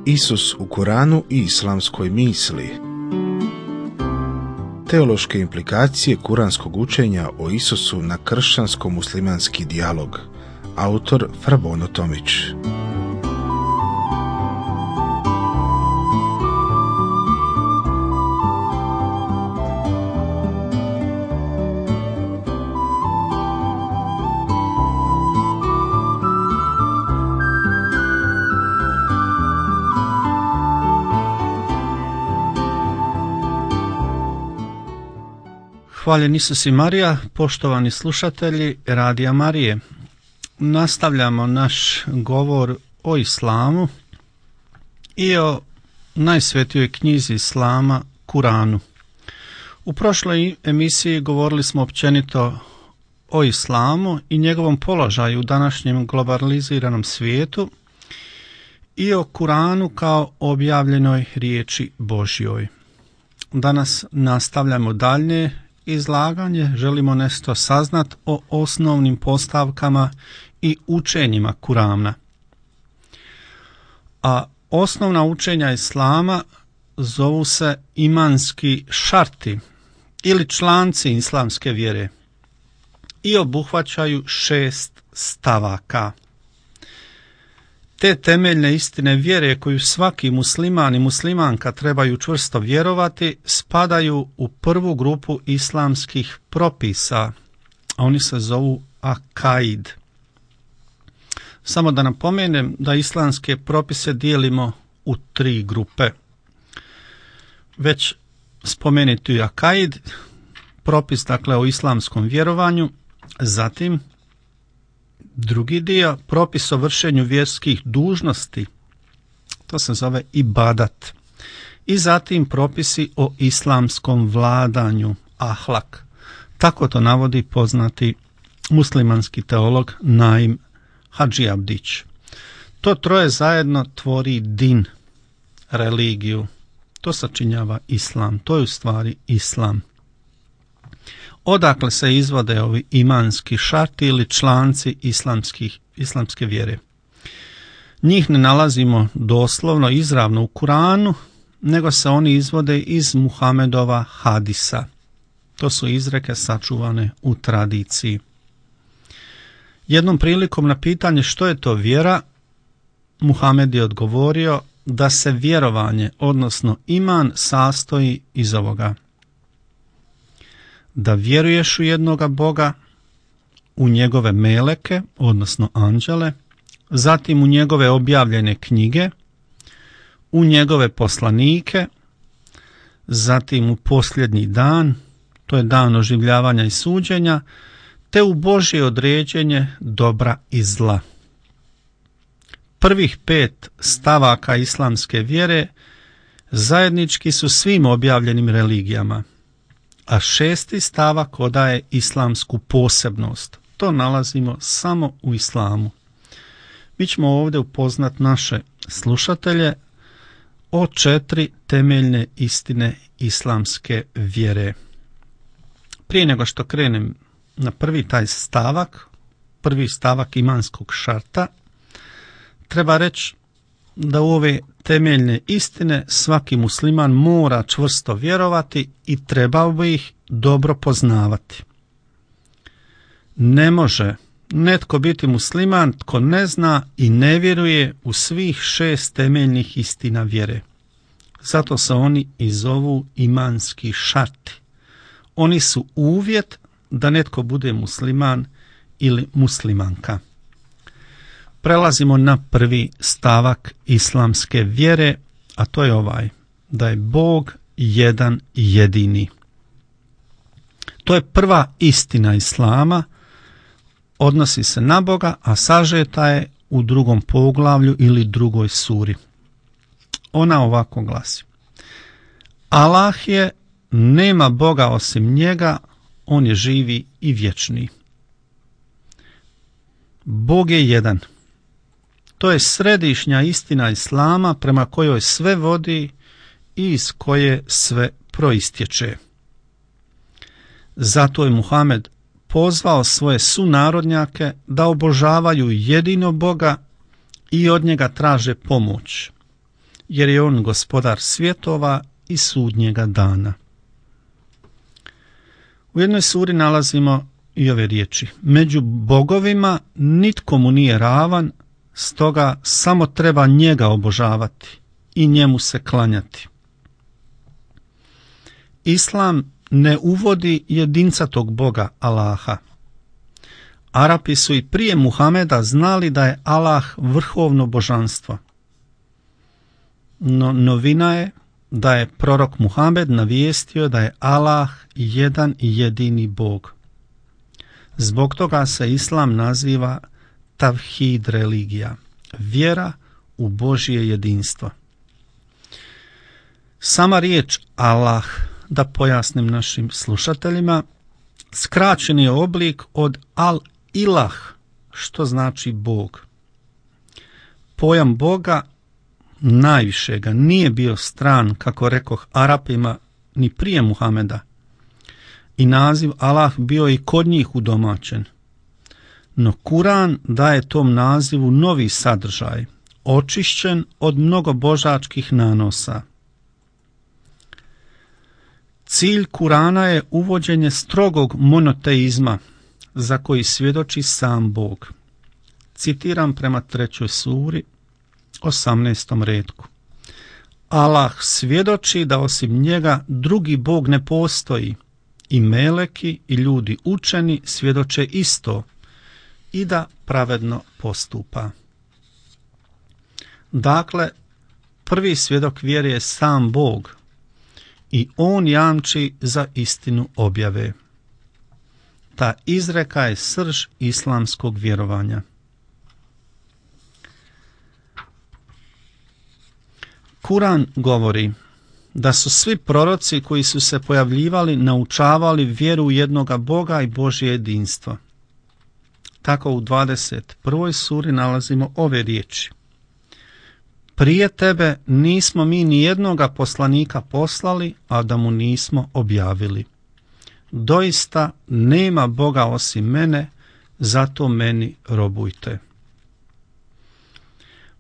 Isus u Kuranu i islamskoj misli. Teološke implikacije kuranskog učenja o Isusu na kršćansko-muslimanski dijalog. Autor Frabono Tomić. Hvaljen Isus i Marija, poštovani slušatelji Radija Marije. Nastavljamo naš govor o islamu i o najsvetijoj knjizi islama, Kuranu. U prošloj emisiji govorili smo općenito o islamu i njegovom položaju u današnjem globaliziranom svijetu i o Kuranu kao objavljenoj riječi Božjoj. Danas nastavljamo dalje izlaganje, želimo nešto saznat o osnovnim postavkama i učenjima Kurana. A osnovna učenja islama zovu se imanski šarti ili članci islamske vjere i obuhvaćaju 6 stavaka. Te temeljne istine vjere koju svaki musliman i muslimanka trebaju čvrsto vjerovati spadaju u prvu grupu islamskih propisa, a oni se zovu akaid. Samo da napomenem da islamske propise dijelimo u 3 grupe. Već spomenuti akaid, propis dakle o islamskom vjerovanju, zatim drugi dio, propis o vršenju vjerskih dužnosti, to se zove ibadat. I zatim propisi o islamskom vladanju, ahlak. Tako to navodi poznati muslimanski teolog Naim Hadži Abdić. To troje zajedno tvori din, religiju. To sačinjava islam, to je u stvari islam. Odakle se izvode ovi imanski šarti ili članci islamske vjere? Njih ne nalazimo doslovno izravno u Kuranu, nego se oni izvode iz Muhamedova hadisa. To su izreke sačuvane u tradiciji. Jednom prilikom na pitanje što je to vjera, Muhamed je odgovorio da se vjerovanje, odnosno iman, sastoji iz ovoga: da vjeruješ u jednoga Boga, u njegove meleke, odnosno anđele, zatim u njegove objavljene knjige, u njegove poslanike, zatim u posljednji dan, to je dan oživljavanja i suđenja, te u Božje određenje dobra i zla. Prvih 5 stavaka islamske vjere zajednički su svim objavljenim religijama, a 6. stavak odaje islamsku posebnost. To nalazimo samo u islamu. Mi ćemo ovdje upoznat naše slušatelje o 4 temeljne istine islamske vjere. Prije nego što krenem na prvi stavak imanskog šarta, treba reći da u ove temeljne istine svaki musliman mora čvrsto vjerovati i trebao bi ih dobro poznavati. Ne može netko biti musliman tko ne zna i ne vjeruje u svih 6 temeljnih istina vjere. Zato se oni i zovu imanski šarti. Oni su uvjet da netko bude musliman ili muslimanka. Prelazimo na prvi stavak islamske vjere, a to je ovaj: da je Bog jedan i jedini. To je prva istina islama, odnosi se na Boga, a sažeta je u 2. poglavlju ili 2. suri. Ona ovako glasi: Allah je, nema Boga osim njega, on je živi i vječni. Bog je jedan. To je središnja istina islama prema kojoj sve vodi i iz koje sve proistječe. Zato je Muhamed pozvao svoje sunarodnjake da obožavaju jedinog Boga i od njega traže pomoć. jer je on gospodar svjetova i sudnjega dana. U jednoj suri nalazimo i ove riječi: među bogovima nitko mu nije ravan, stoga samo treba njega obožavati i njemu se klanjati. Islam ne uvodi jedincatog Boga Allaha. Arapi su i prije Muhameda znali da je Allah vrhovno božanstvo. No novina je da je prorok Muhamed navijestio da je Allah jedan i jedini Bog. Zbog toga se Islam naziva tavhid religija, vjera u Božje jedinstvo. Sama riječ Allah, da pojasnim našim slušateljima, skraćeni je oblik od al-ilah, što znači Bog. Pojam Boga najvišega nije bio stran, kako rekoh, Arapima ni prije Muhameda, i naziv Allah bio i kod njih udomaćen. No Kuran daje tom nazivu novi sadržaj, očišćen od mnogobožačkih nanosa. Cilj Kurana je uvođenje strogog monoteizma za koji svjedoči sam Bog. Citiram prema 3. suri, 18. retku. Allah svjedoči da osim njega drugi Bog ne postoji, i meleki i ljudi učeni svjedoče isto, i da pravedno postupa. Dakle, prvi svjedok vjere je sam Bog i on jamči za istinu objave. Ta izreka je srž islamskog vjerovanja. Kuran govori da su svi proroci koji su se pojavljivali naučavali vjeru u jednoga Boga i Božje jedinstvo. Tako u 21. suri nalazimo ove riječi: prije tebe nismo mi ni jednoga poslanika poslali, a da mu nismo objavili. Doista nema Boga osim mene, zato meni robujte.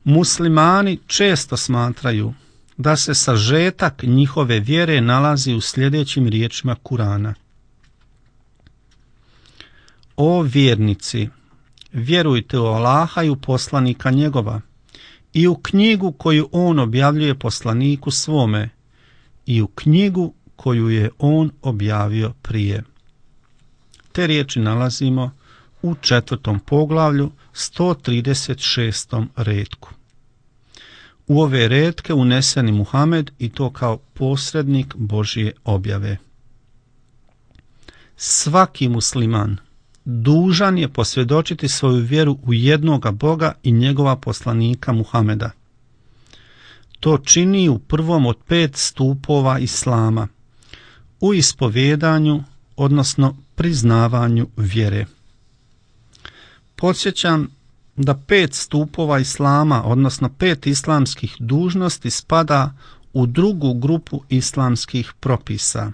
Muslimani često smatraju da se sažetak njihove vjere nalazi u sljedećim riječima Kurana: o vjernici, vjerujte u Allaha i u poslanika njegova, i u knjigu koju on objavljuje poslaniku svome, i u knjigu koju je on objavio prije. Te riječi nalazimo u 4. poglavlju 136. retku. U ove retke unesen je Muhamed i to kao posrednik Božje objave. Svaki musliman dužan je posvjedočiti svoju vjeru u jednoga Boga i njegova poslanika Muhameda. To čini u prvom od 5 stupova Islama, u ispovjedanju, odnosno priznavanju vjere. Podsjećam da 5 stupova Islama, odnosno 5 islamskih dužnosti, spada u drugu grupu islamskih propisa.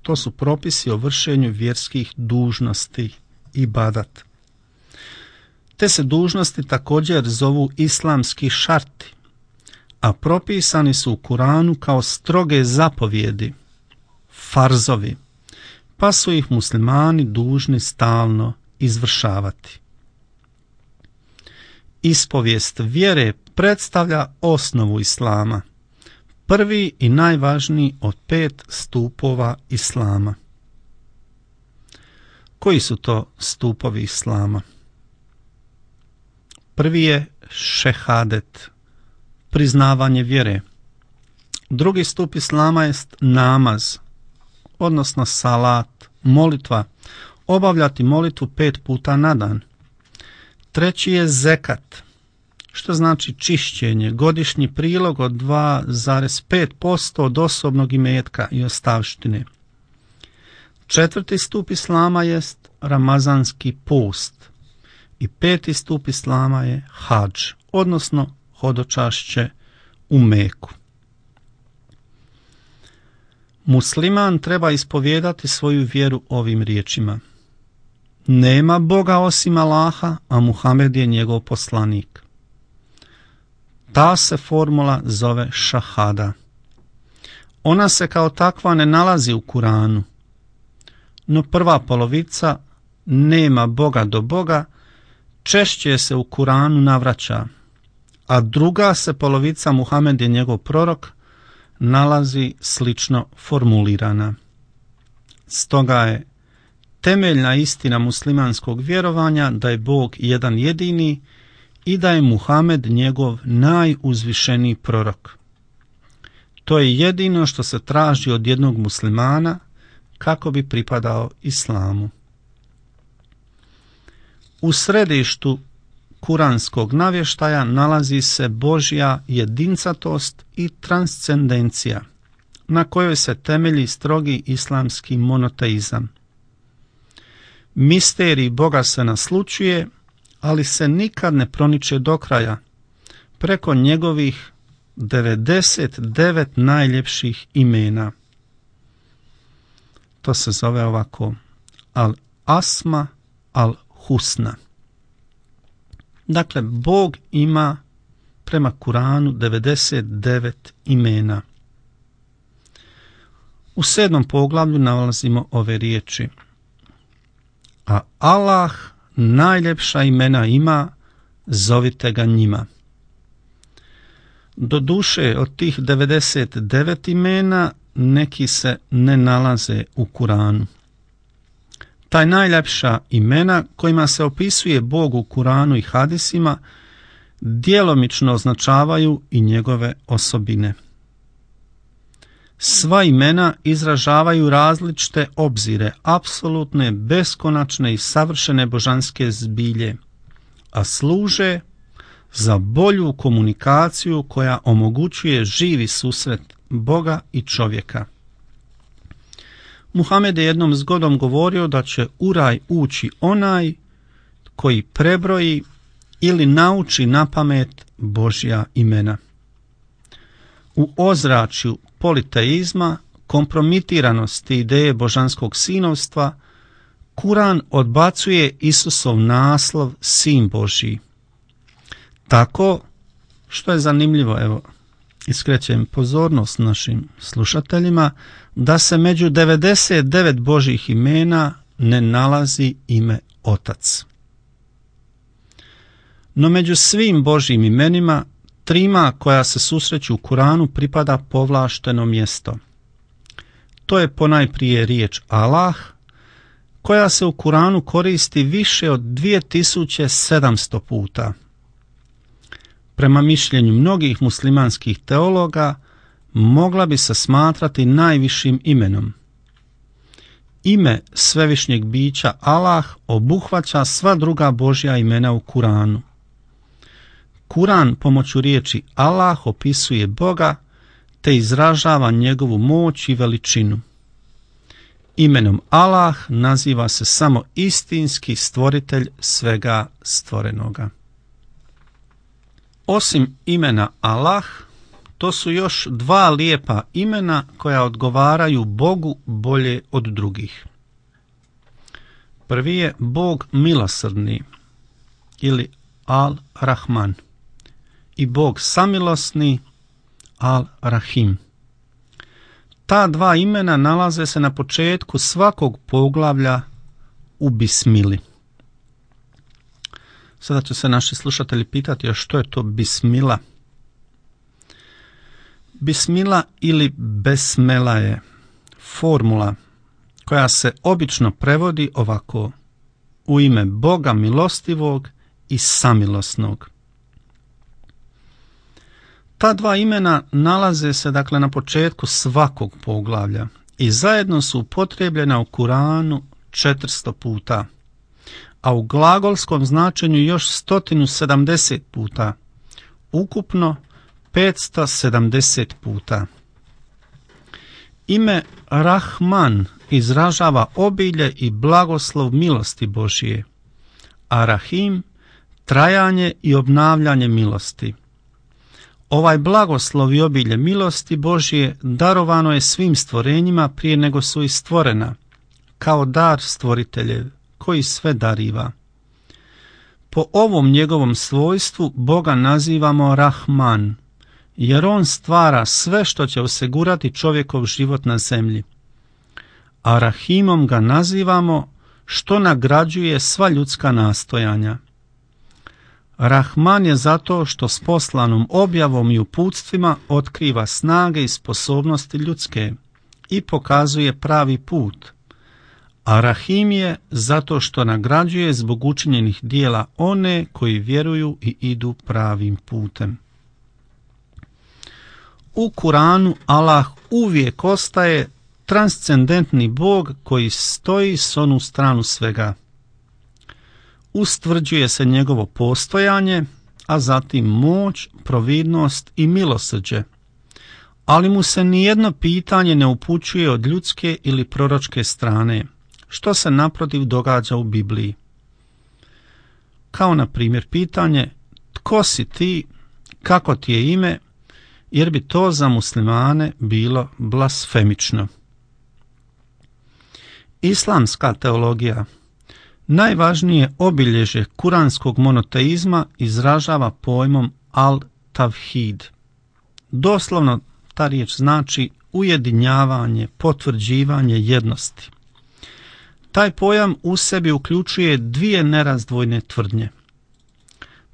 To su propisi o vršenju vjerskih dužnosti, ibadat. Te se dužnosti također zovu islamski šarti, a propisani su u Kuranu kao stroge zapovjedi, farzovi, pa su ih muslimani dužni stalno izvršavati. Ispovijest vjere predstavlja osnovu Islama, prvi i najvažniji od 5 stupova Islama. Koji su to stupovi Islama? Prvi je šehadet, priznavanje vjere. Drugi stup Islama jest namaz, odnosno salat, molitva, obavljati molitvu 5 puta na dan. Treći je zekat, što znači čišćenje, godišnji prilog od 2,5% od osobnog imetka i ostavštine. Četvrti stup Islama jest ramazanski post i 5. stup Islama je hadž, odnosno hodočašće u Meku. Musliman treba ispovijedati svoju vjeru ovim riječima: nema Boga osim Allaha, a Muhammed je njegov poslanik. Ta se formula zove šahada. Ona se kao takva ne nalazi u Kuranu, no prva polovica nema Boga do Boga češće se u Kuranu navraća, a druga se polovica Muhamed je njegov prorok nalazi slično formulirana. Stoga je temeljna istina muslimanskog vjerovanja da je Bog jedan jedini i da je Muhamed njegov najuzvišeniji prorok. To je jedino što se traži od jednog muslimana kako bi pripadao islamu. U središtu kuranskog navještaja nalazi se Božja jedincatost i transcendencija, na kojoj se temelji strogi islamski monoteizam. Misterij Boga se naslućuje, ali se nikad ne proniče do kraja, preko njegovih 99 najljepših imena. To se zove ovako Al-Asma Al-Husna. Dakle, Bog ima prema Kuranu 99 imena. U 7. poglavlju nalazimo ove riječi: a Allah najljepša imena ima, zovite ga njima. Doduše, od tih 99 imena neki se ne nalaze u Kuranu. Taj najljepša imena kojima se opisuje Bog u Kuranu i hadisima djelomično označavaju i njegove osobine. Sva imena izražavaju različite obzire, apsolutne, beskonačne i savršene božanske zbilje, a služe za bolju komunikaciju koja omogućuje živi susret Boga i čovjeka. Muhamed je jednom zgodom govorio da će u raj ući onaj koji prebroji ili nauči napamet Božja imena. U ozračju politeizma, kompromitiranosti ideje božanskog sinovstva, Kuran odbacuje Isusov naslov Sin Božji. Tako, što je zanimljivo, evo, iskrećem pozornost našim slušateljima, da se među 99 Božjih imena ne nalazi ime Otac. No među svim Božjim imenima, trima koja se susreću u Kuranu pripada povlašteno mjesto. To je ponajprije riječ Allah, koja se u Kuranu koristi više od 2700 puta. Prema mišljenju mnogih muslimanskih teologa, mogla bi se smatrati najvišim imenom. Ime svevišnjeg bića Allah obuhvaća sva druga Božja imena u Kuranu. Kuran pomoću riječi Allah opisuje Boga te izražava njegovu moć i veličinu. Imenom Allah naziva se samo istinski stvoritelj svega stvorenoga. Osim imena Allah, to su još dva lijepa imena koja odgovaraju Bogu bolje od drugih. Prvi je Bog milosrdni ili Al-Rahman i Bog samilosni Al-Rahim. Ta dva imena nalaze se na početku svakog poglavlja u Bismili. Sada će se naši slušatelji pitati, a što je to Bismila? Bismila ili Besmela je formula koja se obično prevodi ovako: u ime Boga milostivog i samilosnog. Ta dva imena nalaze se dakle na početku svakog poglavlja i zajedno su upotrijebljena u Kuranu 400 puta, a u glagolskom značenju još 170 puta, ukupno 570 puta. Ime Rahman izražava obilje i blagoslov milosti Božije, a Rahim trajanje i obnavljanje milosti. Ovaj blagoslov i obilje milosti Božije darovano je svim stvorenjima prije nego su i stvorena, kao dar stvoriteljev koji sve dariva. Po ovom njegovom svojstvu Boga nazivamo Rahman, jer on stvara sve što će osigurati čovjekov život na zemlji. A Rahimom ga nazivamo što nagrađuje sva ljudska nastojanja. Rahman je zato što s poslanom objavom i uputstvima otkriva snage i sposobnosti ljudske i pokazuje pravi put. A Rahim je zato što nagrađuje zbog učinjenih dijela one koji vjeruju i idu pravim putem. U Kuranu Allah uvijek ostaje transcendentni Bog koji stoji s onu stranu svega. Ustvrđuje se njegovo postojanje, a zatim moć, providnost i milosrđe, ali mu se nijedno pitanje ne upućuje od ljudske ili proročke strane, što se naprotiv događa u Bibliji. Kao na primjer pitanje tko si ti, kako ti je ime, jer bi to za muslimane bilo blasfemično. Islamska teologija najvažnije obilježje kuranskog monoteizma izražava pojmom al-tavhid. Doslovno ta riječ znači ujedinjavanje, potvrđivanje jednosti. Taj pojam u sebi uključuje dvije nerazdvojne tvrdnje.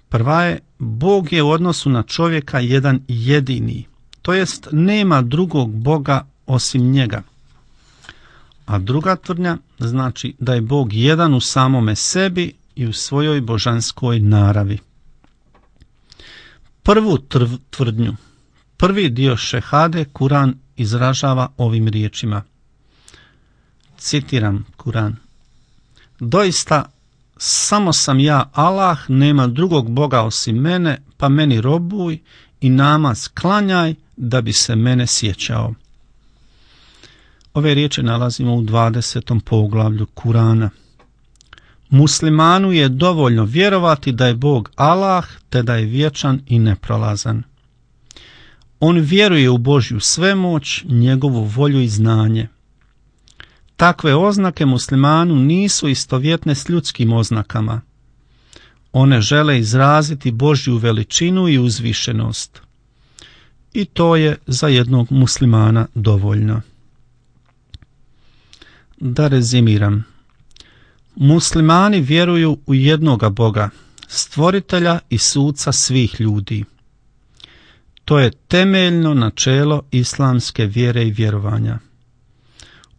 Prva je, Bog je u odnosu na čovjeka jedan jedini, to jest nema drugog Boga osim njega. A druga tvrdnja znači da je Bog jedan u samome sebi i u svojoj božanskoj naravi. Prvu tvrdnju, prvi dio šehade Kuran izražava ovim riječima. Citiram Kuran. Doista, samo sam ja Allah, nema drugog Boga osim mene, pa meni robuj i namaz klanjaj da bi se mene sjećao. Ove riječi nalazimo u 20. poglavlju Kurana. Muslimanu je dovoljno vjerovati da je Bog Allah, te da je vječan i neprolazan. On vjeruje u Božju svemoć, njegovu volju i znanje. Takve oznake muslimanu nisu istovjetne s ljudskim oznakama. One žele izraziti Božju veličinu i uzvišenost. I to je za jednog muslimana dovoljno. Da rezimiram. Muslimani vjeruju u jednoga Boga, stvoritelja i suca svih ljudi. To je temeljno načelo islamske vjere i vjerovanja.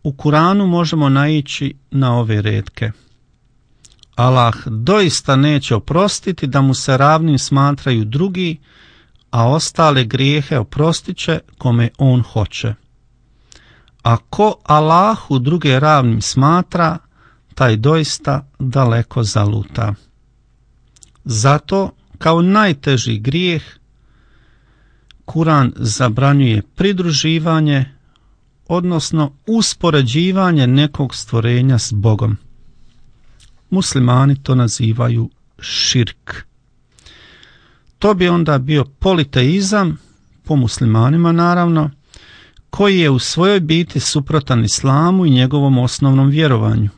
U Kuranu možemo naići na ove retke. Allah doista neće oprostiti da mu se ravnim smatraju drugi, a ostale grijehe oprostit će kome on hoće. A ko Allahu druge ravnim smatra, taj doista daleko zaluta. Zato, kao najteži grijeh, Kuran zabranjuje pridruživanje, odnosno uspoređivanje nekog stvorenja s Bogom. Muslimani to nazivaju širk. To bi onda bio politeizam, po muslimanima naravno, koji je u svojoj biti suprotan islamu i njegovom osnovnom vjerovanju,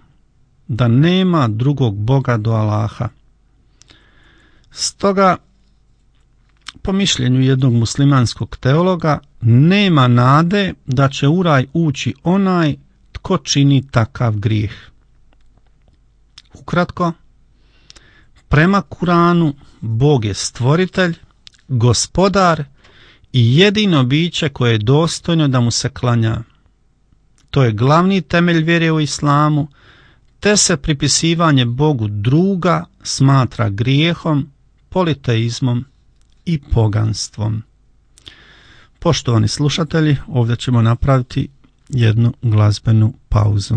da nema drugog Boga do Allaha. Stoga, po mišljenju jednog muslimanskog teologa, nema nade da će u raj ući onaj tko čini takav grijeh. Ukratko, prema Kuranu, Bog je stvoritelj, gospodar i jedino biće koje je dostojno da mu se klanja. To je glavni temelj vjere u islamu, te se pripisivanje Bogu druga smatra grijehom, politeizmom i poganstvom. Poštovani slušatelji, ovdje ćemo napraviti jednu glazbenu pauzu.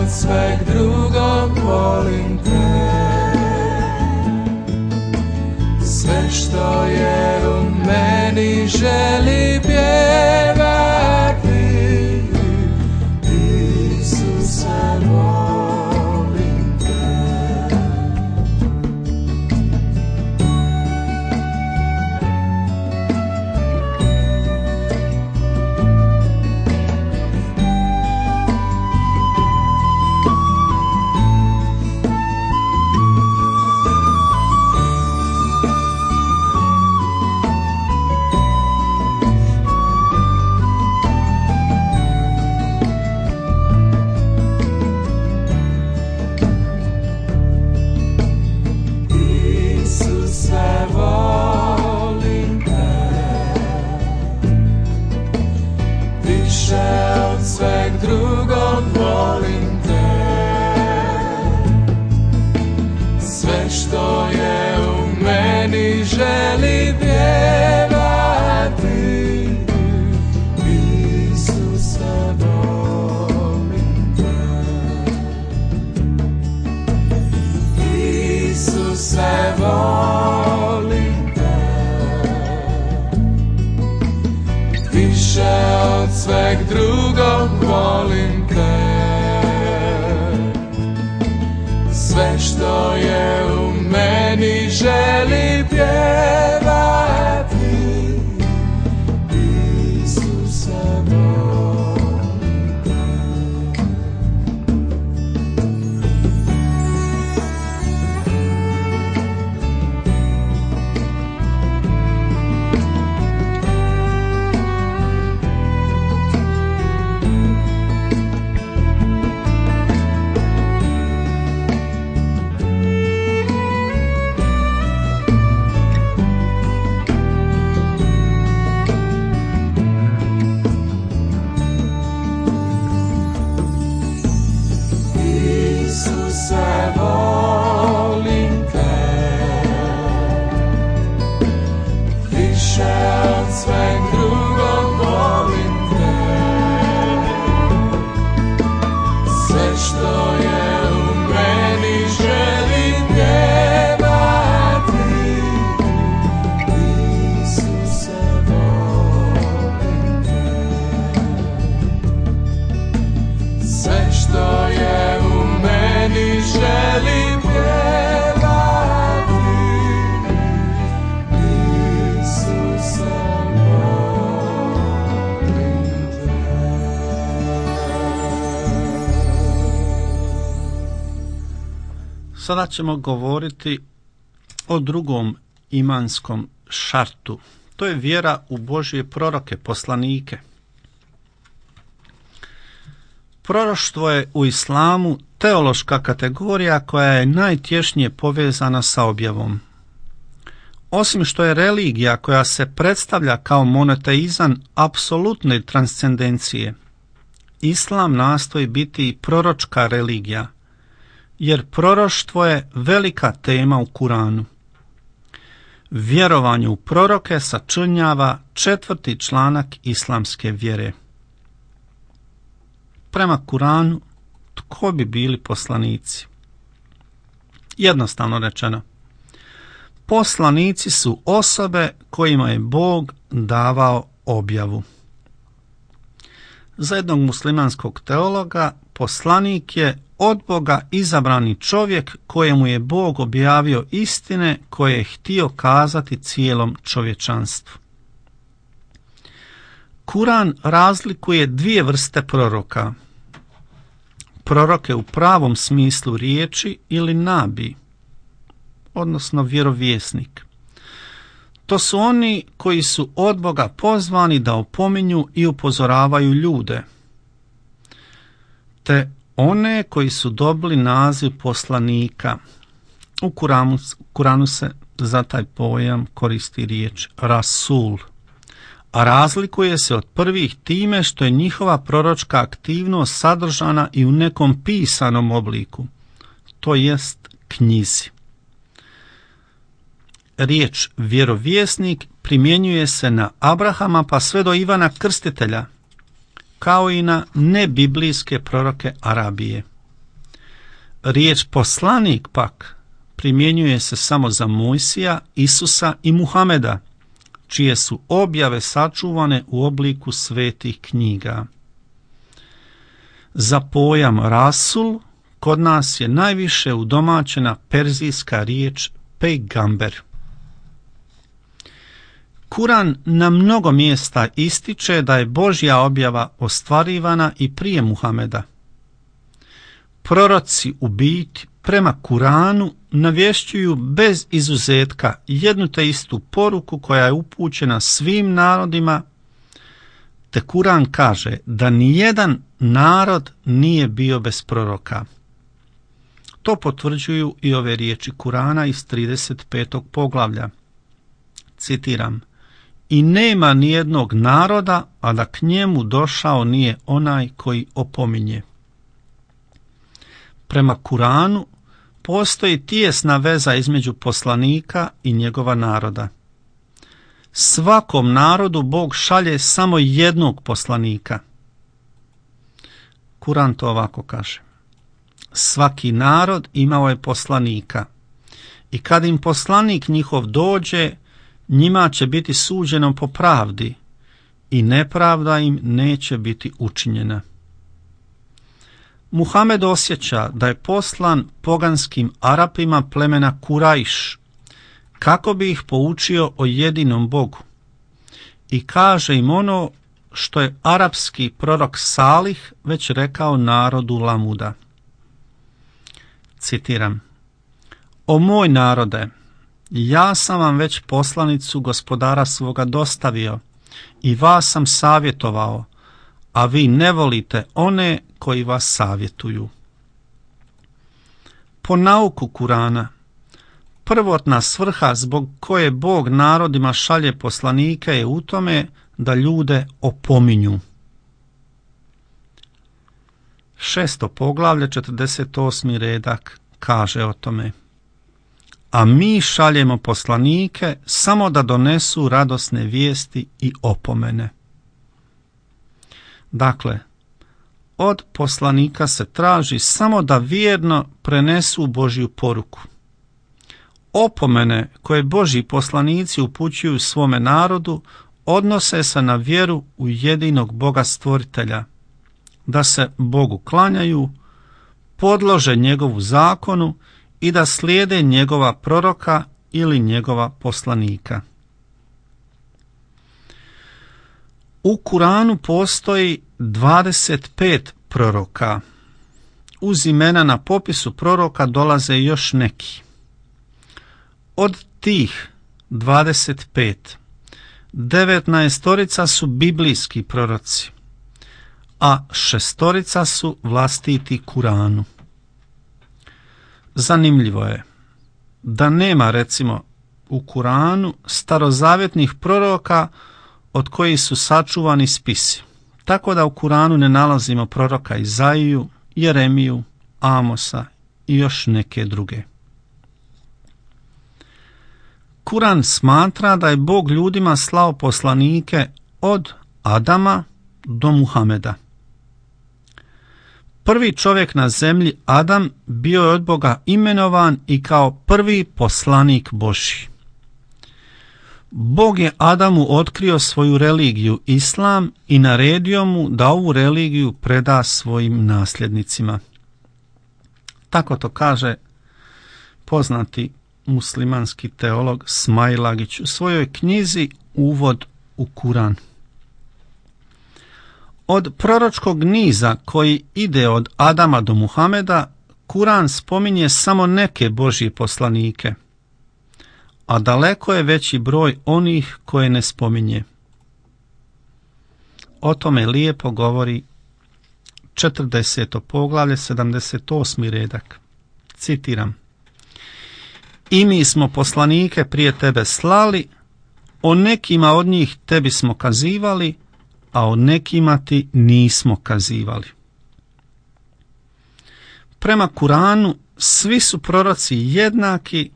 od sveg drugog volim te. Sve što je u meni želi pjevati, Isuse volim te. Drugog volim te. Sve što je u meni želi pjevati, Isuse volim te. Isuse volim te. Više od sveg drugog volim te. Sve što je u meni želi pjevati, Isuse volim te. Sada ćemo govoriti o drugom imanskom šartu. To je vjera u Božje proroke, poslanike. Proroštvo je u islamu teološka kategorija koja je najtješnije povezana sa objavom. Osim što je religija koja se predstavlja kao monoteizam apsolutne transcendencije, islam nastoji biti i proročka religija, jer proroštvo je velika tema u Kuranu. Vjerovanje u proroke sačinjava 4. članak islamske vjere. Prema Kuranu, tko bi bili poslanici? Jednostavno rečeno, poslanici su osobe kojima je Bog davao objavu. Za jednog muslimanskog teologa, poslanik je od Boga izabrani čovjek kojemu je Bog objavio istine koje je htio kazati cijelom čovječanstvu. Kuran razlikuje 2 vrste proroka. Proroke u pravom smislu riječi ili nabi, odnosno vjerovjesnik. To su oni koji su od Boga pozvani da opominju i upozoravaju ljude, te one koji su dobili naziv poslanika. U Kuranu se za taj pojam koristi riječ Rasul, a razlikuje se od prvih time što je njihova proročka aktivnost sadržana i u nekom pisanom obliku, to jest knjizi. Riječ vjerovjesnik primjenjuje se na Abrahama pa sve do Ivana Krstitelja, kao i na nebiblijske proroke Arabije. Riječ poslanik pak primjenjuje se samo za Mojsija, Isusa i Muhameda, čije su objave sačuvane u obliku svetih knjiga. Za pojam rasul kod nas je najviše udomaćena perzijska riječ pejgamber. Kuran na mnogo mjesta ističe da je Božja objava ostvarivana i prije Muhameda. Proroci u biti prema Kuranu navješćuju bez izuzetka jednu te istu poruku koja je upućena svim narodima, te Kuran kaže da nijedan narod nije bio bez proroka. To potvrđuju i ove riječi Kurana iz 35. poglavlja. Citiram: "I nema nijednog naroda, a da k njemu došao nije onaj koji opominje." Prema Kuranu postoji tijesna veza između poslanika i njegova naroda. Svakom narodu Bog šalje samo jednog poslanika. Kuran to ovako kaže: "Svaki narod imao je poslanika, i kad im poslanik njihov dođe, njima će biti suđeno po pravdi i nepravda im neće biti učinjena." Muhamed osjeća da je poslan poganskim Arapima plemena Kurajš kako bi ih poučio o jedinom Bogu i kaže im ono što je arapski prorok Salih već rekao narodu Lamuda. Citiram: "O moj narode, ja sam vam već poslanicu gospodara svoga dostavio i vas sam savjetovao, a vi ne volite one koji vas savjetuju." Po nauku Kurana, prvotna svrha zbog koje Bog narodima šalje poslanike je u tome da ljude opominju. 6. poglavlje, 48. redak kaže o tome: "A mi šaljemo poslanike samo da donesu radosne vijesti i opomene." Dakle, od poslanika se traži samo da vjerno prenesu Božju poruku. Opomene koje Božji poslanici upućuju svome narodu odnose se na vjeru u jedinog Boga stvoritelja, da se Bogu klanjaju, podlože njegovu zakonu i da slijede njegova proroka ili njegova poslanika. U Kuranu postoji 25 proroka. Uz imena na popisu proroka dolaze još neki. Od tih 25, 19 su biblijski proroci, a 6 su vlastiti Kuranu. Zanimljivo je da nema, recimo, u Kuranu starozavjetnih proroka od kojih su sačuvani spisi. Tako da u Kuranu ne nalazimo proroka Izaiju, Jeremiju, Amosa i još neke druge. Kuran smatra da je Bog ljudima slao poslanike od Adama do Muhameda. Prvi čovjek na zemlji, Adam, bio je od Boga imenovan i kao prvi poslanik Božji. Bog je Adamu otkrio svoju religiju, Islam, i naredio mu da ovu religiju preda svojim nasljednicima. Tako to kaže poznati muslimanski teolog Smailagić u svojoj knjizi Uvod u Kuran. Od proročkog niza koji ide od Adama do Muhameda, Kuran spominje samo neke Božje poslanike, a daleko je veći broj onih koje ne spominje. O tome lijepo govori 40. poglavlje, 78. redak. Citiram: "I mi smo poslanike prije tebe slali, o nekima od njih tebi smo kazivali, a o nekima ti nismo kazivali." Prema Kuranu svi su proroci jednaki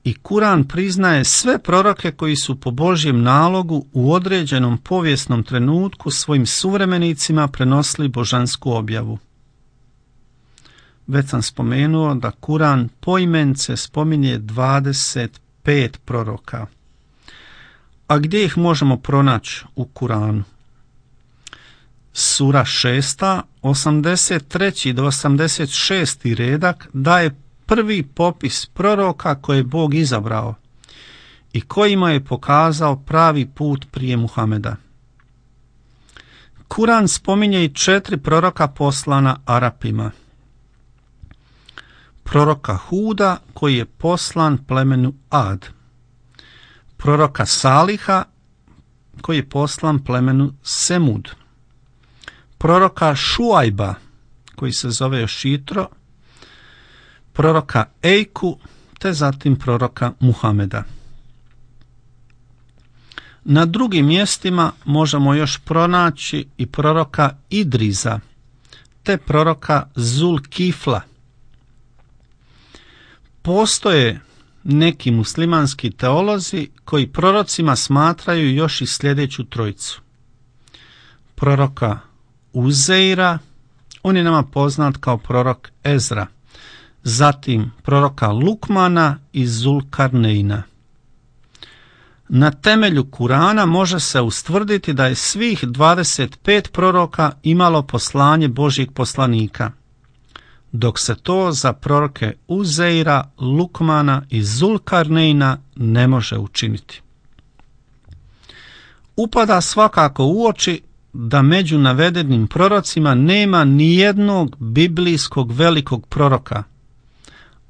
i Kuran priznaje sve proroke koji su po Božjem nalogu u određenom povijesnom trenutku svojim suvremenicima prenosili božansku objavu. već sam spomenuo da Kuran poimence spominje 25 proroka. A gdje ih možemo pronaći u Kuranu? Sura 6, 83. do 86. redak daje prvi popis proroka koje je Bog izabrao i kojima je pokazao pravi put prije Muhameda. Kuran spominje i 4 proroka poslana Arapima. Proroka Huda koji je poslan plemenu Ad. Proroka Saliha koji je poslan plemenu Semud. Proroka Šuajba koji se zove još Jitro. Proroka Ejku te zatim proroka Muhameda. Na drugim mjestima možemo još pronaći i proroka Idriza te proroka Zulkifla. Postoje neki muslimanski teolozi koji prorocima smatraju još i sljedeću trojicu. Proroka Uzeira, on je nama poznat kao prorok Ezra. Zatim proroka Lukmana i Zulkarneina. Na temelju Kurana može se ustvrditi da je svih 25 proroka imalo poslanje Božjeg poslanika, dok se to za proroke Uzeira, Lukmana i Zulkarneina ne može učiniti. Upada svakako u oči da među navedenim prorocima nema nijednog biblijskog velikog proroka,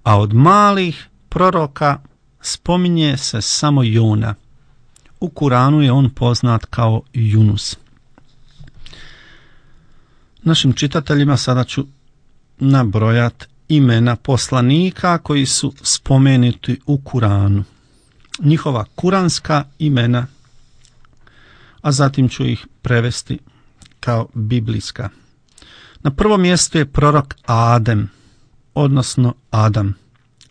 a od malih proroka spominje se samo Jona. U Kuranu je on poznat kao Junus. Našim čitateljima sada ću nabrojati imena poslanika koji su spomenuti u Kuranu. Njihova kuranska imena, a zatim ću ih prevesti kao biblijska. Na prvom mjestu je prorok Adem, odnosno Adam.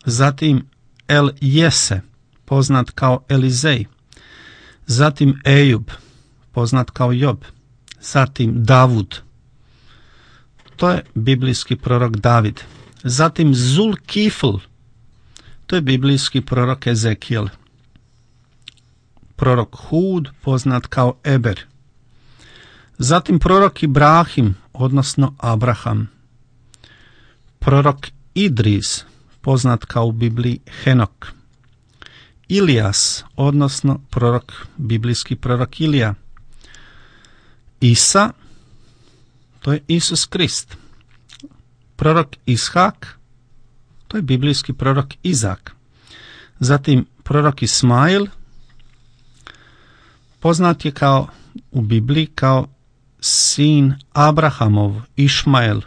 Zatim El Jese, poznat kao Elizej. Zatim Ejub, poznat kao Job. Zatim Davud, to je biblijski prorok David. Zatim Zulkifl, to je biblijski prorok Ezekijel. Prorok Hud, poznat kao Eber. Zatim prorok Ibrahim, odnosno Abraham. Prorok Idris, poznat kao u Bibliji Henok. Ilijas, odnosno biblijski prorok Ilija. Isa, to je Isus Krist. Prorok Ishak, to je biblijski prorok Izak. Zatim prorok Ismail, poznat je kao u Bibliji kao sin Abrahamov, Išmael.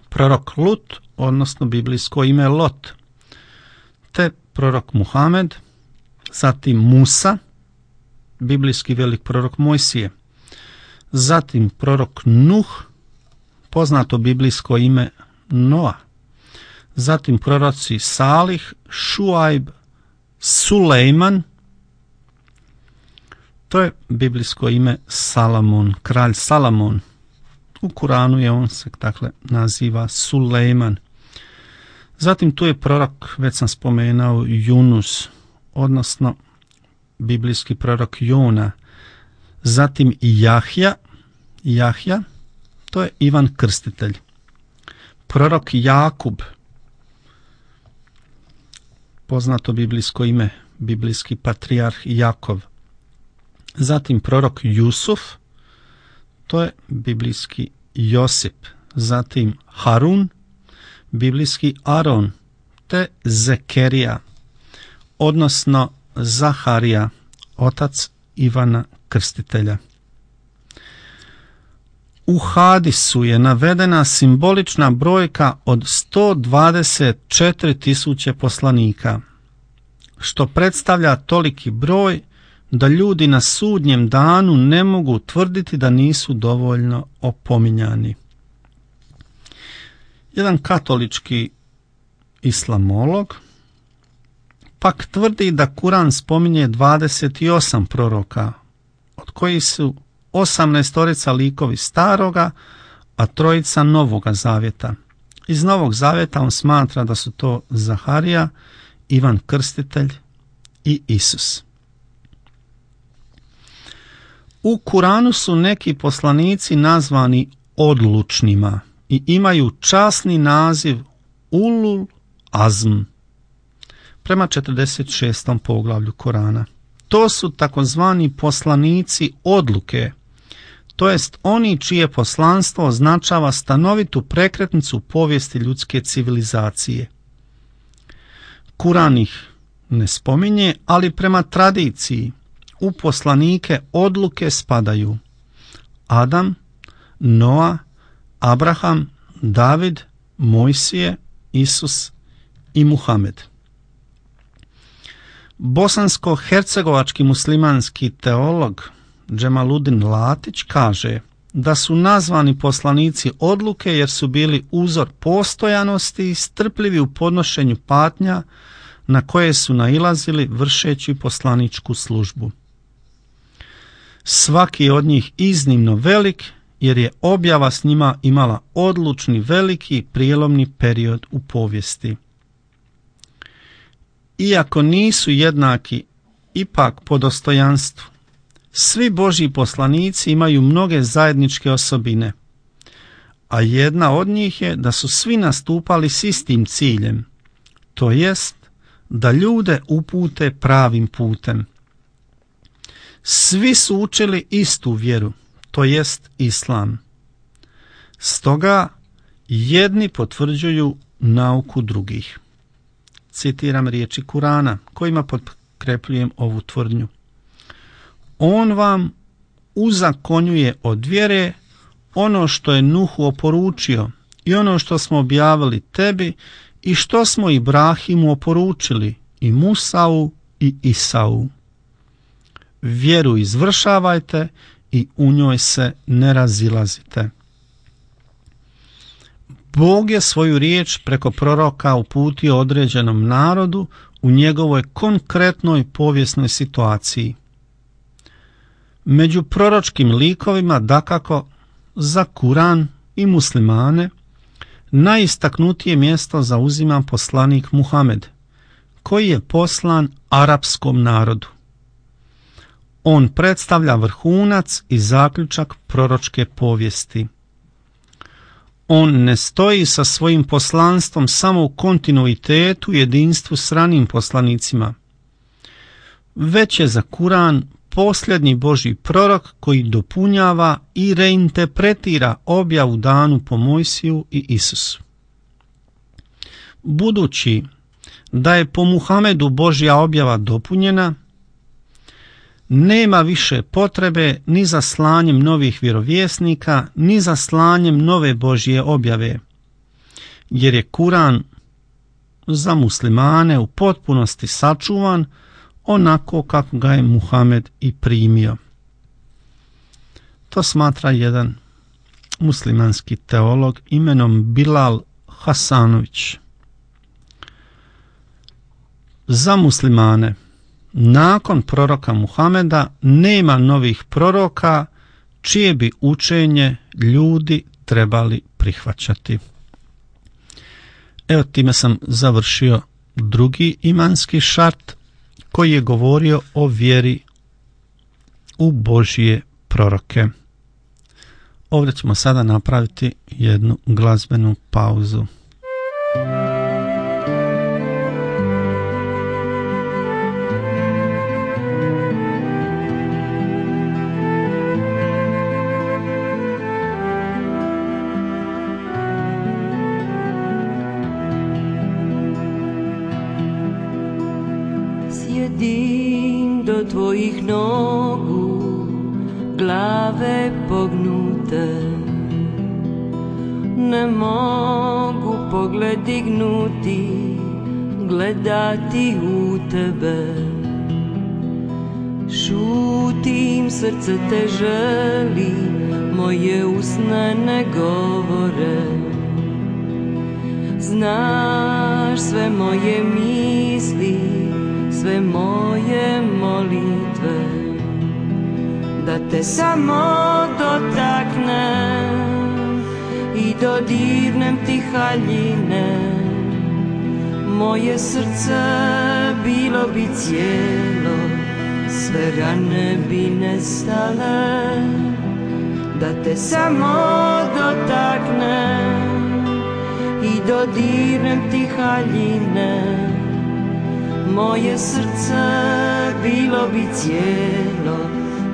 Prorok Lut, odnosno biblijsko ime Lot, te prorok Muhamed, zatim Musa, biblijski velik prorok Mojsije, zatim prorok Nuh, poznato biblijsko ime Noa, zatim proroci Salih, Šuajb, Sulejman, to je biblijsko ime Salamon, kralj Salamon. U Kuranu je on se dakle naziva Sulejman. Zatim tu je prorok, već sam spomenuo, Junus, odnosno biblijski prorok Jona. Zatim Jahja, to je Ivan Krstitelj. Prorok Jakub, poznato biblijsko ime, biblijski patrijarh Jakov. Zatim prorok Jusuf, to je biblijski Josip. Zatim Harun, biblijski Aron, te Zekerija, odnosno Zaharija, otac Ivana Krstitelja. U hadisu je navedena simbolična brojka od 124.000 poslanika, što predstavlja toliki broj da ljudi na sudnjem danu ne mogu tvrditi da nisu dovoljno opominjani. Jedan katolički islamolog pak tvrdi da Kuran spominje 28 proroka, od kojih su 18 likovi staroga, a 3 Novoga zavjeta. Iz Novog Zaveta on smatra da su to Zaharija, Ivan Krstitelj i Isus. U Kuranu su neki poslanici nazvani odlučnima i imaju časni naziv Ulul Azm prema 46. poglavlju Korana. To su takozvani poslanici odluke, to jest oni čije poslanstvo označava stanovitu prekretnicu u povijesti ljudske civilizacije. Kuran ih ne spominje, ali prema tradiciji u poslanike odluke spadaju Adam, Noa, Abraham, David, Mojsije, Isus i Muhamed. Bosansko-hercegovački muslimanski teolog Džemaludin Latić kaže da su nazvani poslanici odluke jer su bili uzor postojanosti i strpljivi u podnošenju patnja na koje su nailazili vršeći poslaničku službu. Svaki od njih iznimno velik jer je objava s njima imala odlučni veliki prijelomni period u povijesti. Iako nisu jednaki ipak po dostojanstvu, svi Božji poslanici imaju mnoge zajedničke osobine, a jedna od njih je da su svi nastupali s istim ciljem, to jest da ljude upute pravim putem. Svi su učili istu vjeru, to jest islam. Stoga jedni potvrđuju nauku drugih. Citiram riječi Kurana kojima potkrepljujem ovu tvrdnju. On vam uzakonjuje od vjere ono što je Nuhu oporučio i ono što smo objavili tebi i što smo Ibrahimu oporučili i Musau i Isau. Vjeru izvršavajte i u njoj se ne razilazite. Bog je svoju riječ preko proroka uputio određenom narodu u njegovoj konkretnoj povijesnoj situaciji. Među proročkim likovima dakako za Kuran i muslimane najistaknutije mjesto zauzima poslanik Muhamed, koji je poslan arapskom narodu. On predstavlja vrhunac i zaključak proročke povijesti. On ne stoji sa svojim poslanstvom samo u kontinuitetu i jedinstvu s ranijim poslanicima, već je za Kuran posljednji Božji prorok koji dopunjava i reinterpretira objavu danu po Mojsiju i Isusu. Budući da je po Muhamedu Božja objava dopunjena, nema više potrebe ni za slanjem novih vjerovjesnika, ni za slanjem nove Božje objave, jer je Kuran za muslimane u potpunosti sačuvan onako kako ga je Muhamed i primio. To smatra jedan muslimanski teolog imenom Bilal Hasanović. Za muslimane nakon proroka Muhameda nema novih proroka čije bi učenje ljudi trebali prihvaćati. Evo, time sam završio drugi imanski šart koji je govorio o vjeri u Božje proroke. Ovdje ćemo sada napraviti jednu glazbenu pauzu. Sjedim do tvojih nogu, glave pognute, ne mogu pogled dignuti, gledati u tebe. Šutim, srce te želi, moje usne ne govore. Znaš sve moje misli, sve moje molitve, da te samo dotaknem, i dodirnem ti haljine, moje srce bilo bi cijelo, sve rane bi nestale, da te samo dotaknem i dodirnem ti haljine, moje srce bilo bi cijelo,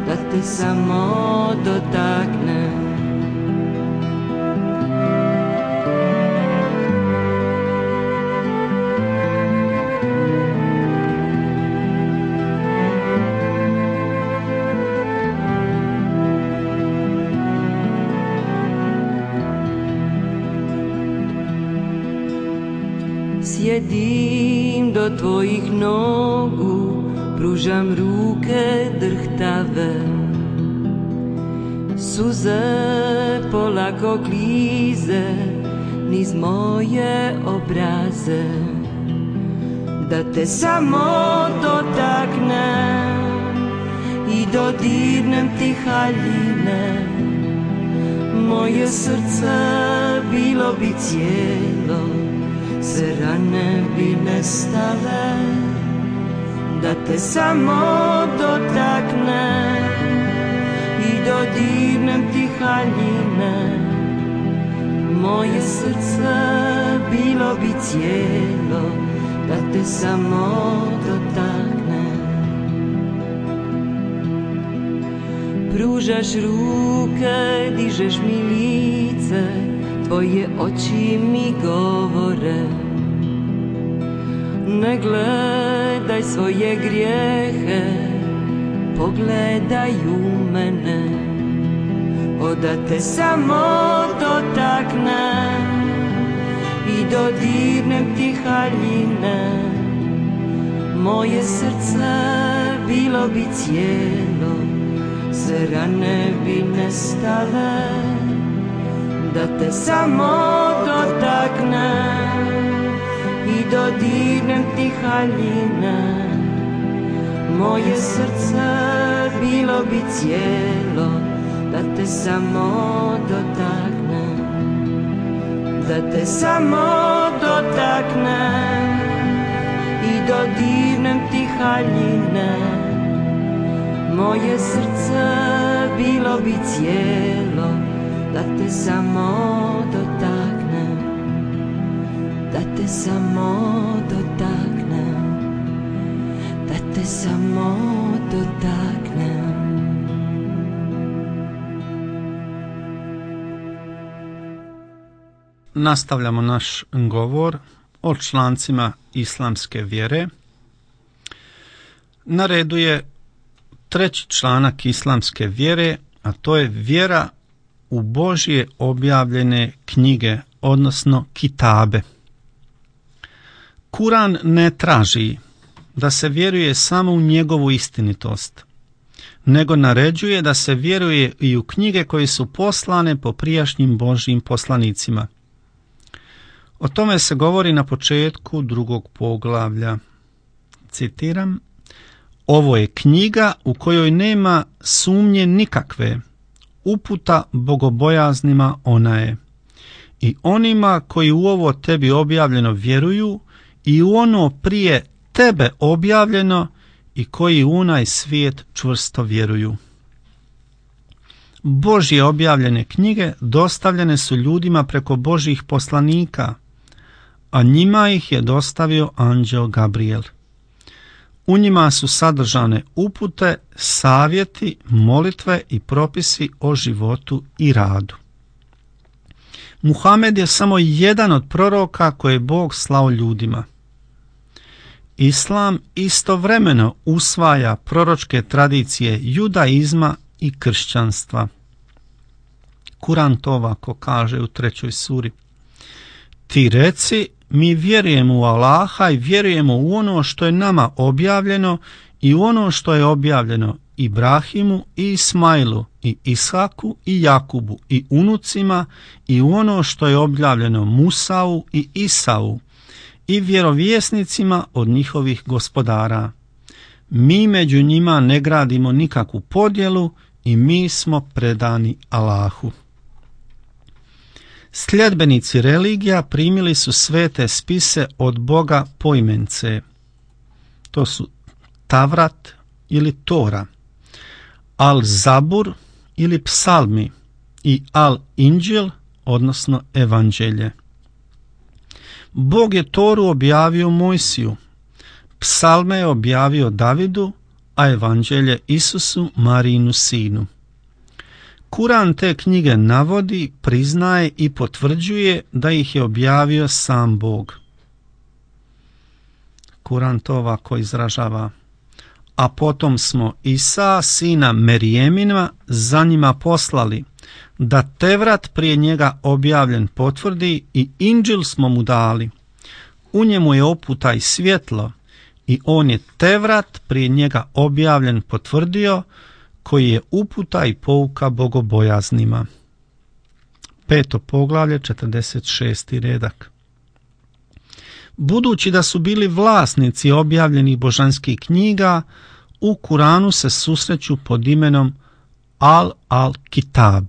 da te samo dotaknem. Sjedim do tvojih nogu, pružam ruke drhtave, suze polako klize niz moje obraze, da te samo dotaknem i dodirnem ti haljine, moje srce bilo bi cijelo, sve rane bi nestale, da te samo dotaknem i dodirnem ti haljine, moje srce bilo bi cijelo, da te samo dotaknem. Pružaš ruke, dižeš mi lice, tvoje oči mi govore, ne gledaj svoje grijehe, pogledaj u mene, da te samo dotaknem i dodirnem ti haljine, moje srce bilo bi cijelo, sve rane bi nestale, da te samo dotaknem i dodirnem ti haljine, moje srce bilo bi cijelo, da te samo dotaknem, da te samo dotaknem i dodirnem ti haljine, moje srce bilo bi cijelo, da te samo dotaknem, da te samo dotaknem, da te samo dotaknem. Nastavljamo naš govor o člancima islamske vjere. Na redu je treći članak islamske vjere, a to je vjera u Božje objavljene knjige, odnosno kitabe. Kuran ne traži da se vjeruje samo u njegovu istinitost, nego naređuje da se vjeruje i u knjige koje su poslane po prijašnjim Božjim poslanicima. O tome se govori na početku 2. poglavlja. Citiram: ovo je knjiga u kojoj nema sumnje nikakve, uputa bogobojaznima ona je. I onima koji u ovo tebi objavljeno vjeruju i u ono prije tebe objavljeno i koji u onaj svijet čvrsto vjeruju. Božje objavljene knjige dostavljene su ljudima preko Božjih poslanika, a njima ih je dostavio anđeo Gabriel. U njima su sadržane upute, savjeti, molitve i propisi o životu i radu. Muhamed je samo jedan od proroka koje je Bog slao ljudima. Islam istovremeno usvaja proročke tradicije judaizma i kršćanstva. Kuran to ovako kaže u 3. suri: ti reci, mi vjerujemo u Allaha i vjerujemo u ono što je nama objavljeno i u ono što je objavljeno Ibrahimu i Ismailu i Ishaku i Jakubu i unucima i u ono što je objavljeno Musau i Isau i vjerovjesnicima od njihovih gospodara. Mi među njima ne gradimo nikakvu podjelu i mi smo predani Allahu. Sljedbenici religija primili su svete spise od Boga poimence. To su Tavrat ili Tora, Al-Zabur ili Psalmi i Al-Inđil, odnosno Evanđelje. Bog je Toru objavio Mojsiju, Psalme je objavio Davidu, a Evanđelje Isusu, Marijinu sinu. Kuran te knjige navodi, priznaje i potvrđuje da ih je objavio sam Bog. Kuran to ovako izražava: a potom smo Isa, sina Merijemina, za njima poslali, da Tevrat prije njega objavljen potvrdi i Inđil smo mu dali. U njemu je oputa i svjetlo i on je Tevrat prije njega objavljen potvrdio, koji je uputa i pouka bogobojaznima. 5. poglavlje, 46. redak. Budući da su bili vlasnici objavljenih božanskih knjiga, u Kuranu se susreću pod imenom Al-Kitab.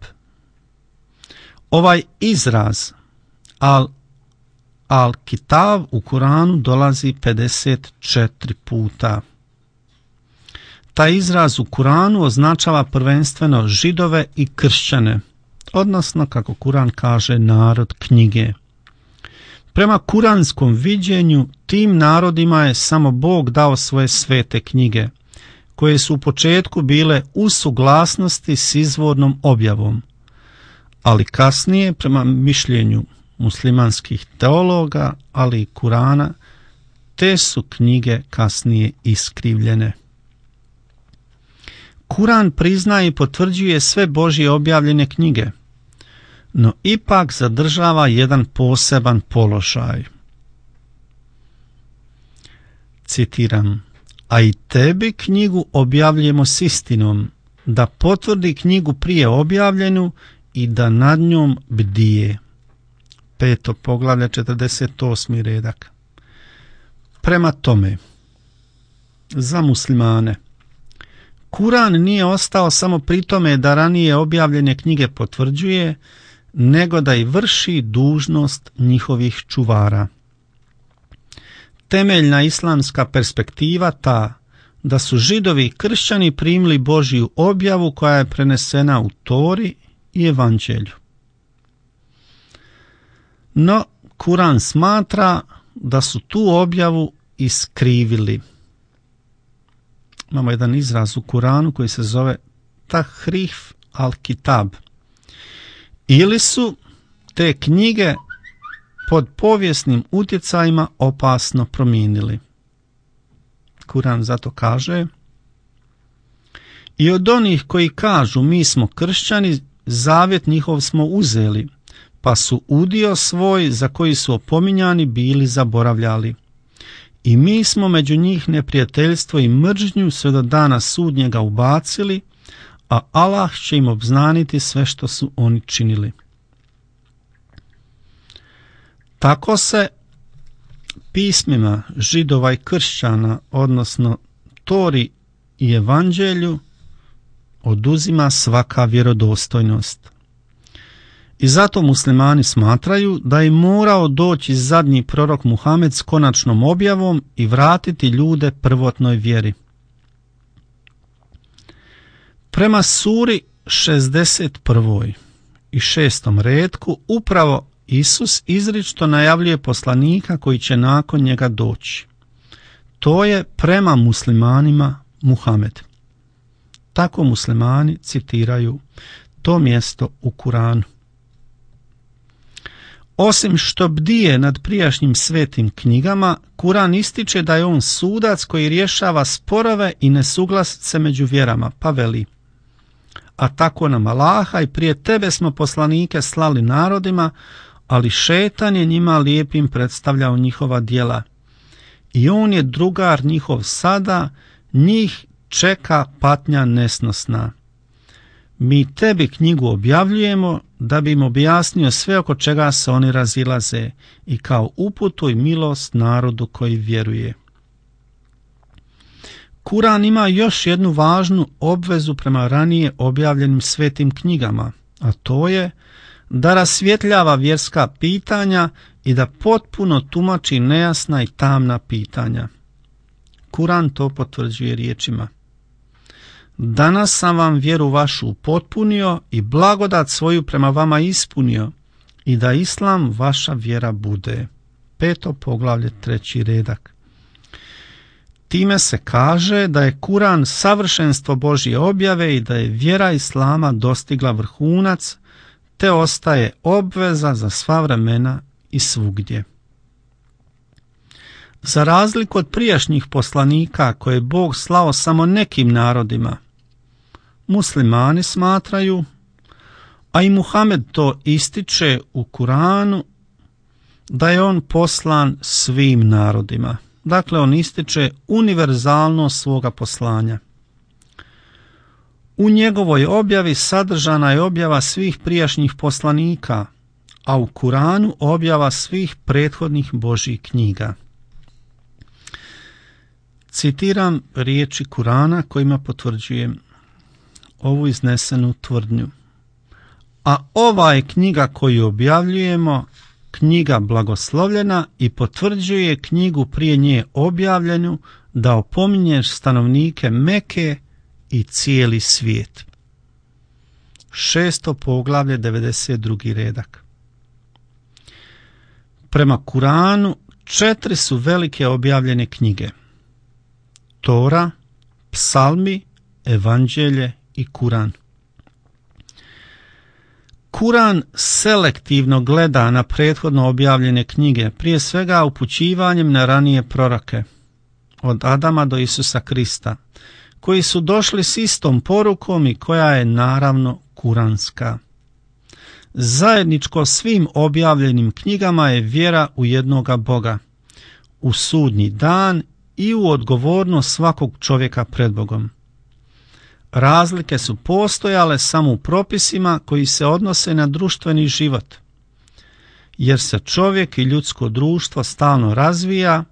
Ovaj izraz Al-Kitab u Kuranu dolazi 54 puta. Taj izraz u Kuranu označava prvenstveno Židove i kršćane, odnosno, kako Kuran kaže, narod knjige. Prema kuranskom viđenju, tim narodima je samo Bog dao svoje svete knjige, koje su u početku bile u suglasnosti s izvornom objavom, ali kasnije, prema mišljenju muslimanskih teologa, ali i Kurana, te su knjige kasnije iskrivljene. Kuran priznaje i potvrđuje sve Božje objavljene knjige, no ipak zadržava jedan poseban položaj. Citiram: a i tebi knjigu objavljujemo s istinom, da potvrdi knjigu prije objavljenu i da nad njom bdije. 5. poglavlje, 48. redak. Prema tome, za muslimane, Kuran nije ostao samo pri tome da ranije objavljene knjige potvrđuje, nego da i vrši dužnost njihovih čuvara. Temeljna islamska perspektiva ta da su Židovi i kršćani primili Božju objavu koja je prenesena u Tori i Evanđelju. No, Kuran smatra da su tu objavu iskrivili. Imamo jedan izraz u Kuranu koji se zove Tahrif al-Kitab. Ili su te knjige pod povijesnim utjecajima opasno promijenili. Kuran zato kaže: i od onih koji kažu mi smo kršćani, zavjet njihov smo uzeli, pa su udio svoj za koji su opominjani bili zaboravljali. I mi smo među njih neprijateljstvo i mržnju sve do dana sudnjega ubacili, a Allah će im obznaniti sve što su oni činili. Tako se pismima Židova i kršćana, odnosno Tori i Evanđelju, oduzima svaka vjerodostojnost. I zato muslimani smatraju da je morao doći zadnji prorok Muhamed s konačnom objavom i vratiti ljude prvotnoj vjeri. Prema suri 61. i 6. retku upravo Isus izričito najavljuje poslanika koji će nakon njega doći. To je prema muslimanima Muhamed. Tako muslimani citiraju to mjesto u Kuranu. Osim što bdije nad prijašnjim svetim knjigama, Kuran ističe da je on sudac koji rješava sporove i nesuglasice među vjerama, pa veli: a tako nam Allaha i prije tebe smo poslanike slali narodima, ali šetan je njima lijepim predstavljao njihova djela. I on je drugar njihov sada, njih čeka patnja nesnosna. Mi tebi knjigu objavljujemo da bi im objasnio sve oko čega se oni razilaze i kao uputu i milost narodu koji vjeruje. Kuran ima još jednu važnu obvezu prema ranije objavljenim svetim knjigama, a to je da rasvjetljava vjerska pitanja i da potpuno tumači nejasna i tamna pitanja. Kuran to potvrđuje riječima: danas sam vam vjeru vašu upotpunio i blagodat svoju prema vama ispunio, i da islam vaša vjera bude. 5. poglavlje 3. redak. Time se kaže da je Kuran savršenstvo Božje objave i da je vjera islama dostigla vrhunac, te ostaje obveza za sva vremena i svugdje. Za razliku od prijašnjih poslanika koje je Bog slao samo nekim narodima, muslimani smatraju, a i Muhammed to ističe u Kuranu, da je on poslan svim narodima. Dakle, on ističe univerzalnost svoga poslanja. U njegovoj objavi sadržana je objava svih prijašnjih poslanika, a u Kuranu objava svih prethodnih Božjih knjiga. Citiram riječi Kurana kojima potvrđujem ovu iznesenu tvrdnju. A ova je knjiga koju objavljujemo knjiga blagoslovljena i potvrđuje knjigu prije nje objavljenu, da opominješ stanovnike Meke i cijeli svijet. 6. poglavlje 92. redak. Prema Kuranu 4 su velike objavljene knjige: Tora, Psalmi, Evanđelje i Kuran. Kuran selektivno gleda na prethodno objavljene knjige, prije svega upućivanjem na ranije proroke, od Adama do Isusa Krista, koji su došli s istom porukom i koja je naravno kuranska. Zajedničko svim objavljenim knjigama je vjera u jednoga Boga, u sudnji dan i u odgovornost svakog čovjeka pred Bogom. Razlike su postojale samo u propisima koji se odnose na društveni život, jer se čovjek i ljudsko društvo stalno razvija,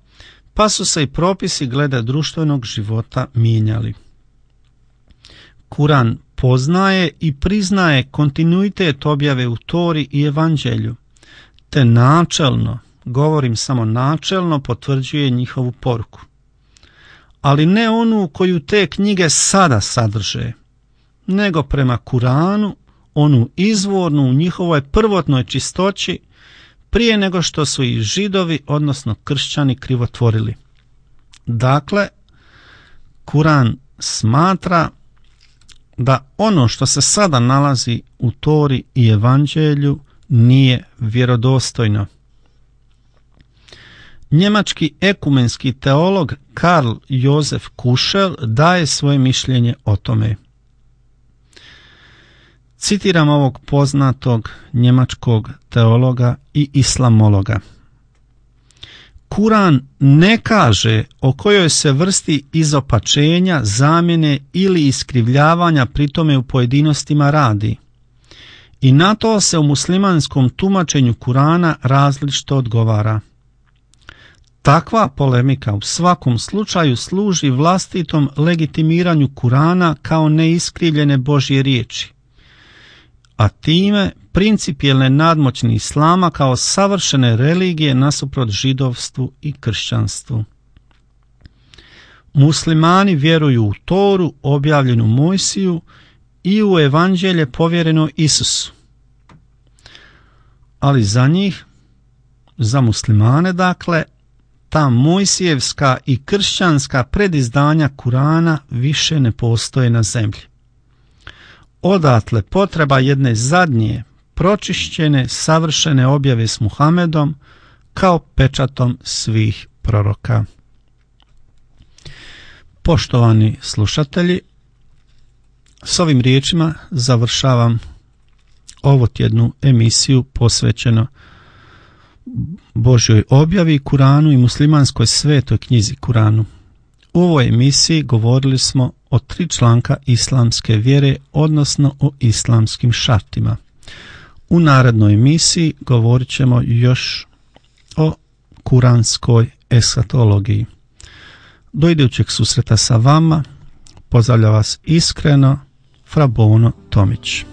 pa su se i propisi glede društvenog života mijenjali. Kuran poznaje i priznaje kontinuitet objave u Tori i Evanđelju, te načelno, govorim samo načelno, potvrđuje njihovu poruku. Ali ne onu koju te knjige sada sadrže, nego prema Kuranu onu izvornu u njihovoj prvotnoj čistoći, prije nego što su i Židovi, odnosno kršćani, krivotvorili. Dakle, Kuran smatra da ono što se sada nalazi u Tori i Evanđelju nije vjerodostojno. Njemački ekumenski teolog Karl Josef Kušel daje svoje mišljenje o tome. Citiram ovog poznatog njemačkog teologa i islamologa. Kuran ne kaže o kojoj se vrsti izopačenja, zamjene ili iskrivljavanja pritome u pojedinostima radi. I na to se u muslimanskom tumačenju Kurana različito odgovara. Takva polemika u svakom slučaju služi vlastitom legitimiranju Kurana kao neiskrivljene Božje riječi, a time principijelne nadmoćni islama kao savršene religije nasuprot židovstvu i kršćanstvu. Muslimani vjeruju u Toru objavljenu Mojsiju i u Evanđelje povjereno Isusu. Ali za njih, za muslimane dakle, ta mojsijevska i kršćanska predizdanja Kurana više ne postoje na zemlji. Odatle potreba jedne zadnje, pročišćene, savršene objave s Muhamedom kao pečatom svih proroka. Poštovani slušatelji, s ovim riječima završavam ovu tjednu emisiju posvećeno Božjoj objavi, Kuranu i muslimanskoj svetoj knjizi Kuranu. U ovoj emisiji govorili smo o 3 članka islamske vjere, odnosno o islamskim šartima. U narednoj emisiji govorit ćemo još o kuranskoj eskatologiji. Do idućeg susreta sa vama pozdravlja vas iskreno Fra Bono Tomić.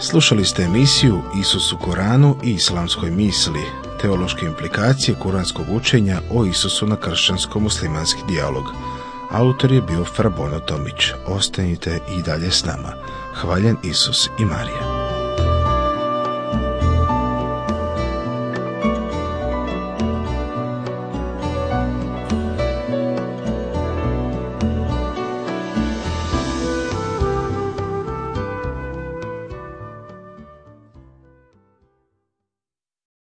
Slušali ste emisiju Isus u Koranu i islamskoj misli, teološke implikacije kuranskog učenja o Isusu na kršćansko-muslimanski dijalog. Autor je bio Fra Bono Tomić. Ostanite i dalje s nama. Hvaljen Isus i Marija.